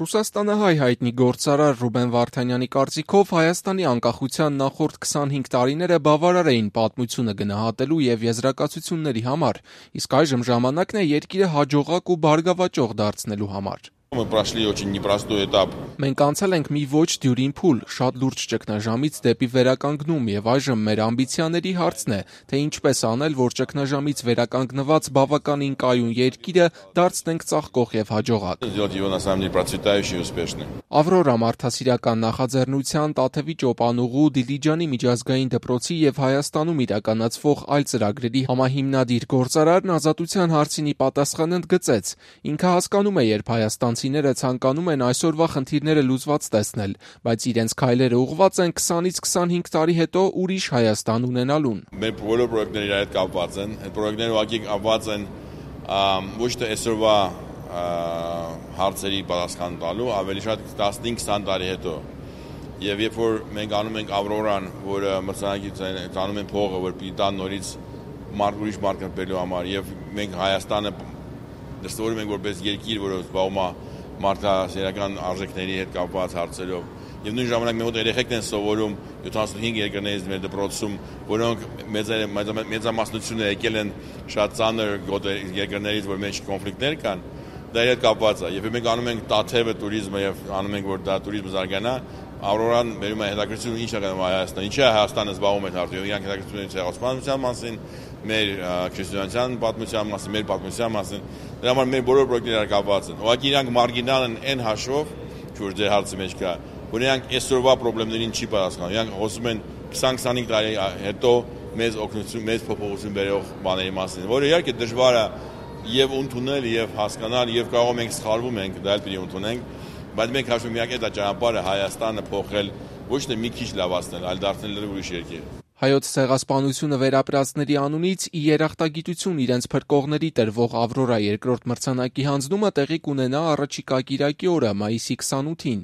Ռուսաստանը հայտնի գործարար Ռուբեն Վարդանյանի կարծիքով Հայաստանի անկախության նախորդ 25 տարիները բավարար էին պատմությունը գնահատելու և եզրակացությունների համար, իսկ այժմ ժամանակն է երկիրը հաջողակ ու բարգավաճող դարձնելու համար։ Մենք անցել ենք մի ոչ դյուրին փուլ, շատ լուրջ ճգնաժամից դեպի վերականգնում և այժմ մեր ամբիցիաների հարցն է, թե ինչպես անել, որ ճգնաժամից վերականգնված բավականին կայուն երկիրը դարձնենք ծաղկող և հաջողակ։ Ավրորա մարդասիրական նախաձեռնության Տաթևի Ճոպանուղու, Դիլիջանի միջազգային դպրոցի և Հայաստանում իրականացվող այլ ծրագրերի համահիմնադիր գործարարն ազատության հարցին ի պատասխան ընդգծեց. ինքը հասկանում է, երբ հայաստանցիները ցանկանում են այսօրվա խնդիրները լուծված տեսնել, բայց իրենց քայլերը ուղղված են 20-ից 25 տարի հետո ուրիշ Հայաստան ունենալուն։ Մեր բոլոր պրոյեկտները իրար հետ կապված են, այդ պրոյեկտները ուղղակի կապված են ոչ թե այսօրվա հարցերի պատասխան տալու, ավելի շատ 15-20 տարի հետո։ Եվ երբ որ մենք անում ենք Ավրորան, որը մրցանակից անում են փողը, որ պիտի տան նորից ուրիշ մարդ կրպելու համար, եւ մենք Հայաստանը դրսևորում ենք որպես երկիր, որը զբաղվում է մարդասիրական արժեքների հետ կապված հարցերով։ Եվ նույն ժամանակ մեր մոտ երեխեքն են սովորում 75 երկրներից մեր դպրոցում, որոնք մեծամասնությունը եկել են շատ ծանր երկրներից, որ մեջ կոնֆլիկտներ կան, դա իր հետ կապված է։ Եվ մենք անում ենք Տաթևը туриզմը եւ անում ենք, որ դա туриզմը զարգանա, Ավրորան բերում է հետաքրքրություն ինչ է կանում Հայաստան, ինչի է Հայաստանը զբաղվում այդ հարցով, իրանք հետաքրքրություն ունեն ցեղասպանության մասին, մեր քրիստոնեության պատմության մասին, մեր պատմության մասին, դրա համար մեր բոլոր պրոյեկտները կապված են։ Ուղղակի իրանք մարգինալ են այն հաշվով, որ ձեր հարցի մեջ կա, որ իրանք այսօրվա խնդիրներին չի պատասխանում։ Իրանք խոսում են 20-25 տարի հետո մեծ օգնություն, մեծ փոփոխություն բերող բաների մասին, որը իհարկե դժվար է եւ ընդունել եւ հասկանալ եւ կարող ենք սխալվում ենք, դա էլ պիտի ընդունենք, բայց մենք հաշվում ենք այդ ճանապարհը Հայաստանը փոխել ոչ թե մի քիչ լավացնել, այլ դարձնել ուրիշ երկիր։ Հայոց ցեղասպանությունը վերապրածների անունից ի երախտագիտություն իրենց փրկողների տրվող Ավրորա երկրորդ մրցանակի հանձնումը տեղի կունենա առաջիկա կիրակի օրը, մայիսի 28-ին։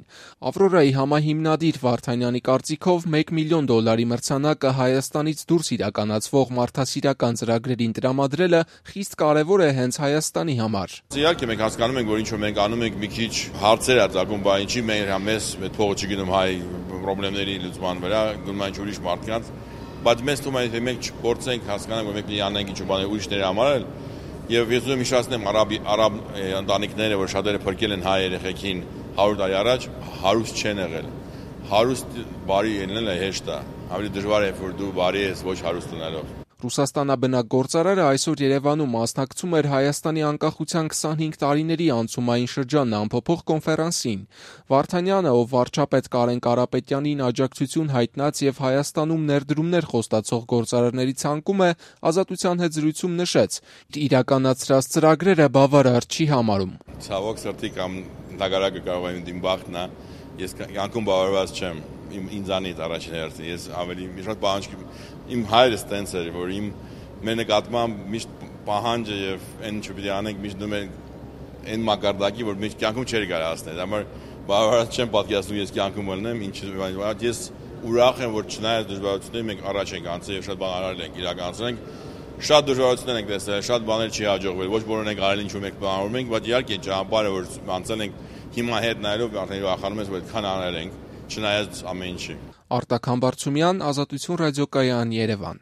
Ավրորայի համահիմնադիր Վարդանյանի կարծիքով $1 միլիոն մրցանակը Հայաստանից դուրս իրականացվող մարդասիրական ծրագրերին տրամադրելը խիստ կարևոր է հենց Հայաստանի համար։ Իհարկե մենք հասկանում ենք, որ ինչ որ մենք անում ենք մի քիչ հարցեր է ծագում, բայց ինչի մեզ այդ փողը չգնում հայ խնդիրների լուծման վրա, գնում են ուրիշ մարդկանց, բայց մեզ թվում է, թե մենք չփորձենք հասկանանք, որ մենք պիտի անենք ինչ-որ բաներ ուրիշների համար էլ, եւ ես ուզում եմ հիշեցնեմ արաբ ընտանիքները, որ շատերը փրկել են հայ երեխեքին 100 տարի առաջ, հարուստ չեն եղել։ Հարուստ բարի ելնելը հեշտ է, ավելի դժվար է, որ դու բարի ես ոչ հարուստ ունելով։ Ռուսաստանաբնակ գործարարը այսօր Երևանում մասնակցում էր Հայաստանի անկախության 25 տարիների անցումային շրջանն ամփոփող կոնֆերանսին։ Վարդանյանը, ով վարչապետ Կարեն Կարապետյանին աջակցություն հայտնած եւ Հայաստանում ներդրումներ խոստացող գործարարների ցանկում է, Ազատության հետ զրույցում նշեց. իրականացրած ծրագրերը բավարար չի համարում։ Ցավոք սրտի կամ նագարակը կարող է իմ բախտն է, ես անկում բավարարված չեմ ինձանից առաջին հերթին, ես ավելի շատ պահանջ իմ հայրս տենց էր, որ մեր նկատմամբ միշտ պահանջը եւ այն ինչ պիտի անենք միշտ դնում են այն մակարդակի, որ միշտ կյանքում չէր կարող հասնել։ Դա համար բավարար չեմ պատկերացնում ես կյանքում ելնեմ, ես ուրախ եմ, որ չնայած դժվարություններին մենք առաջ ենք անցել եւ շատ բան արել ենք, իրականացրել ենք։ Շատ դժվարություններ ենք տեսել, շատ բաներ չի հաջողվել, ոչ բոլորն ենք արել ինչ որ մենք բանավորում ենք, բայց իհարկե ճանապարհը որ անցել ենք հիմա հետ նայելով արդեն ուրախանում ես, որ այդքան անել ենք, չնայած ամեն ինչի։ Արտակ Համբարձումյան, Ազատություն ռադիոկայան, Երևան։